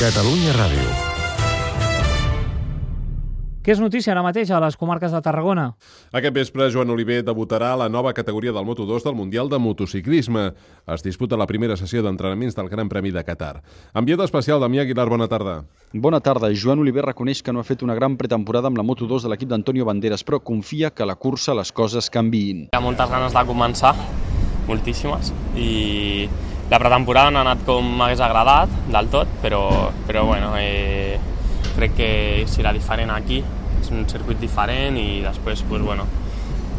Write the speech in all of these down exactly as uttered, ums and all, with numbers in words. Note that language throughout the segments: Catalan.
Catalunya Ràdio. Què és notícia ara mateix a les comarques de Tarragona? Aquest vespre, Joan Oliver debutarà a la nova categoria del Moto dos del Mundial de Motociclisme. Es disputa la primera sessió d'entrenaments del Gran Premi de Qatar. Enviat especial, Damià Aguilar, bona tarda. Bona tarda. Joan Oliver reconeix que no ha fet una gran pretemporada amb la Moto dos de l'equip d'Antonio Banderas, però confia que a la cursa les coses canviïn. Hi ha moltes ganes de començar, moltíssimes, i la pretemporada no ha anat com m'hagués agradat del tot, però, però bueno, eh, crec que serà diferent aquí, és un circuit diferent i després, pues, bueno,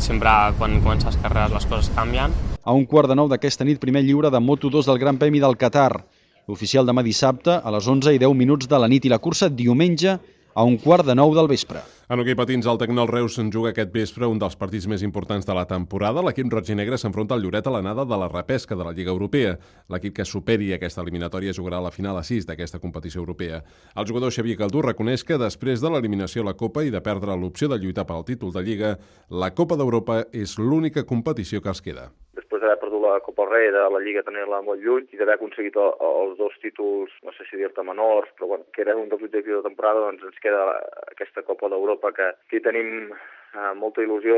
sempre quan comences carreres les coses canvien. A un quart de nou d'aquesta nit, primer lliure de Moto dos del Gran Premi del Qatar. L'oficial demà dissabte a les onze i deu minuts de la nit i la cursa diumenge a un quart de nou del vespre. En hoquei patins, el Tecnol Reus en juga aquest vespre un dels partits més importants de la temporada. L'equip roig i negre s'enfronta al Lloret a l'anada de la repesca de la Lliga Europea. L'equip que superi aquesta eliminatòria jugarà a la final a sis d'aquesta competició europea. El jugador Xavier Caldú reconeix que després de l'eliminació a la Copa i de perdre l'opció de lluitar pel títol de Lliga, la Copa d'Europa és l'única competició que els queda. Després d'haver perdut la Copa Rei, de la Lliga tenir-la molt lluny i d'haver aconseguit els dos títols, no sé si dir-te menors, però bueno, que era un dels objectius de temporada, doncs ens queda aquesta Copa d'Europa que, que tenim eh, molta il·lusió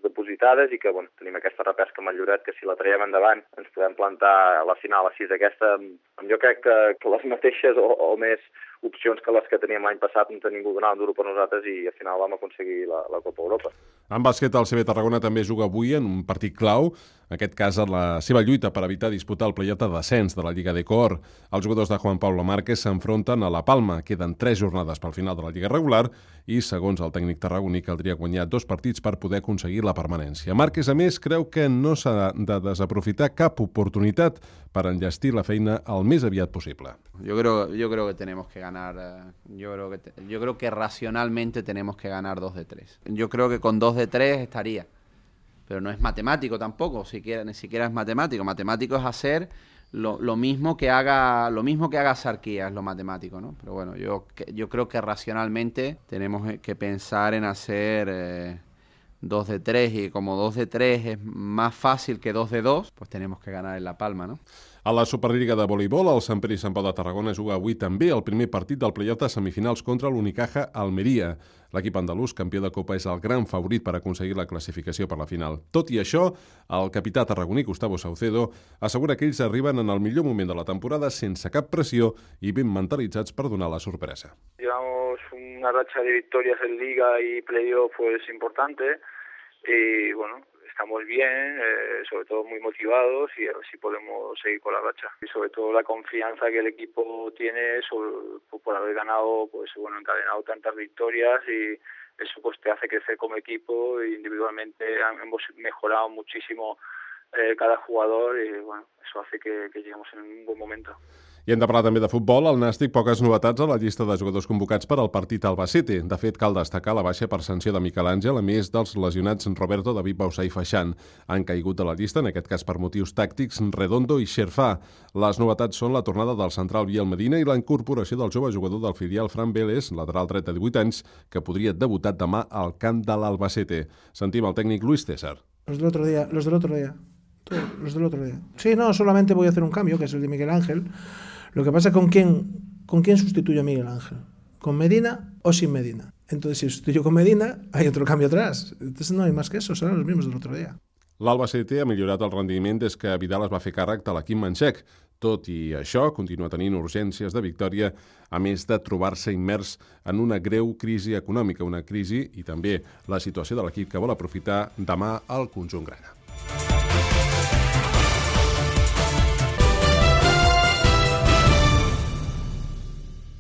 depositades i que bueno, tenim aquesta repesca amb el Lloret que si la traiem endavant ens podem plantar a la final a sis aquesta. Jo crec que, que les mateixes o, o més opcions que les que teníem l'any passat no ningú donava duro per nosaltres i al final vam aconseguir la, la Copa Europa. En bàsquet, el C B Tarragona també juga avui en un partit clau, en aquest cas en la seva lluita per evitar disputar el play-off de descens de la Lliga de Cor. Els jugadors de Juan Pablo Márquez s'enfronten a la Palma. Queden tres jornades pel final de la Lliga regular i, segons el tècnic tarragoní, caldria guanyar dos partits per poder aconseguir la permanència. Márquez, a més, creu que no s'ha de desaprofitar cap oportunitat per enllestir la feina el més aviat possible. Yo creo, yo creo que tenemos que ganar, yo creo que, te, yo creo que racionalmente tenemos que ganar dos de tres. Yo creo que con dos de tres estaría, pero no es matemático tampoco, siquiera, ni siquiera es matemático. Matemático es hacer lo, lo mismo que haga, lo mismo que haga Sarquía, es lo matemático, ¿no? Pero bueno, yo, yo creo que racionalmente tenemos que pensar en hacer eh, dos de tres, y como dos de tres es más fácil que dos de dos, pues tenemos que ganar en La Palma, ¿no? A la Superliga de voleibol, el Sant Pere i Sant Pau de Tarragona juga avui també el primer partit del play-off de semifinals contra l'Unicaja Almeria. L'equip andalús, campió de Copa, és el gran favorit per aconseguir la classificació per la final. Tot i això, el capità tarragoní Gustavo Saucedo assegura que ells arriben en el millor moment de la temporada sense cap pressió i ben mentalitzats per donar la sorpresa. Llevamos una racha de victorias en Liga y playoff pues importante y bueno, estamos bien, eh, sobre todo muy motivados y a ver si podemos seguir con la racha. Y sobre todo la confianza que el equipo tiene sobre, por haber ganado, pues bueno, encadenado tantas victorias y eso pues te hace crecer como equipo e individualmente hemos mejorado muchísimo eh, cada jugador y bueno, eso hace que, que lleguemos en un buen momento. I hem de parlar també de futbol. Al Nàstic, poques novetats a la llista de jugadors convocats per al partit Albacete. De fet, cal destacar la baixa per sanció de Miquel Àngel, a més dels lesionats Roberto, David Bausà i Faixán. Han caigut de la llista, en aquest cas per motius tàctics, Redondo i Xerfà. Les novetats són la tornada del central Biel Medina i la incorporació del jove jugador del filial Fran Vélez, lateral dret de divuit anys, que podria debutar demà al camp de l'Albacete. Sentim el tècnic Luis César. Los del otro día, los del otro día. Todos los del otro día. Sí, no, solamente voy a hacer un cambio, que es el de Miguel Ángel. Lo que pasa es con quién, con quién sustituyo a Miguel Ángel. ¿Con Medina o sin Medina? Entonces, si sustituyo con Medina, hay otro cambio atrás. Entonces no hay más que eso, serán los mismos del otro día. L'Albacete ha millorat el rendiment des que Vidal es va fer càrrec de l'equip manxec. Tot i això, continua tenint urgències de victòria, a més de trobar-se immers en una greu crisi econòmica, una crisi i també la situació de l'equip que vol aprofitar demà al conjunt grana.